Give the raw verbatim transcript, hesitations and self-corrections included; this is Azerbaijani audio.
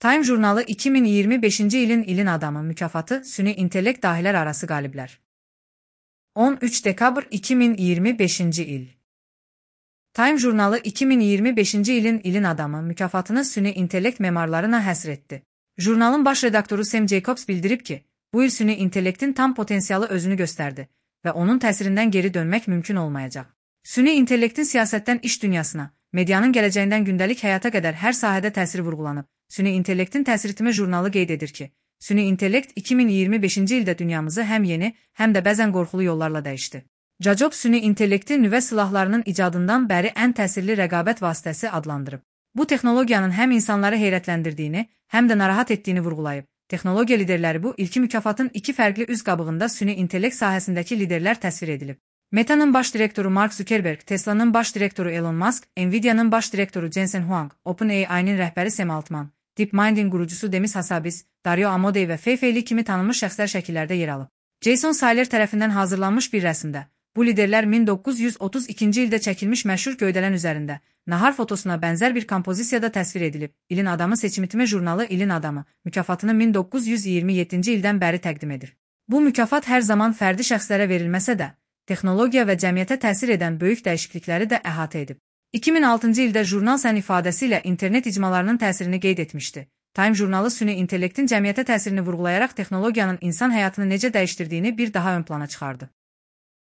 Time jurnalı iki min iyirmi beşinci ilin ilin adamı mükafatı süni intellekt dahiler arası galibler. on üç dekabr iki min iyirmi beşinci il. Time jurnalı iki min iyirmi beşinci ilin ilin adamı mükafatını süni intellekt memarlarına həsr Jurnalın baş redaktoru Sam Jacobs bildirib ki, bu il süni intellektin tam potensialı özünü gösterdi ve onun təsirindən geri dönmek mümkün olmayacaq. Süni intellektin siyasetten iş dünyasına, medyanın geleceğinden gündelik hayata kadar her sahədə təsiri vurgulanıb. Süni intellektin təsiritimi jurnalı qeyd edir ki, süni intellekt iki min iyirmi beşinci ildə dünyamızı həm yeni, həm də bəzən qorxulu yollarla dəyişdi. Jacobs süni intellekti nüvə silahlarının icadından bəri ən təsirli rəqabət vasitəsi adlandırıb. Bu texnologiyanın həm insanları heyrətləndirdiyini, həm də narahat etdiyini vurgulayıb. Texnologiya liderləri bu ilki mükafatın iki fərqli üz qabığında süni intellekt sahəsindəki liderlər təsvir edilib. Meta'nın baş direktoru Mark Zuckerberg, Tesla'nın baş direktoru Elon Musk, Nvidia'nın baş direktoru Jensen Huang, OpenAI'nin rəhbəri Sam Altman, DeepMind'in qurucusu Demis Hassabis, Dario Amodei və Fei Fei Li kimi tanınmış şəxslər şəkillərdə yer alıb. Jason Saylor tərəfindən hazırlanmış bir rəsmdə, bu liderlər min doqquz yüz otuz ikinci ildə çəkilmiş məşhur göydələn üzərində, nahar fotosuna bənzər bir kompozisiyada təsvir edilib. İlin adamı seçimitimi jurnalı İlin adamı mükafatını min doqquz yüz iyirmi yeddinci ildən bəri təqdim edir. Bu mükafat hər zaman fərdi şəxslərə verilməsə də, texnologiya və cəmiyyətə təsir edən böyük dəyişiklikləri də əhatə edib. iki min altıncı ildə jurnal sən ifadəsilə internet icmalarının təsirini qeyd etmişdi. Time jurnalı süni intellektin cəmiyyətə təsirini vurğulayaraq texnologiyanın insan həyatını necə dəyişdirdiyini bir daha ön plana çıxardı.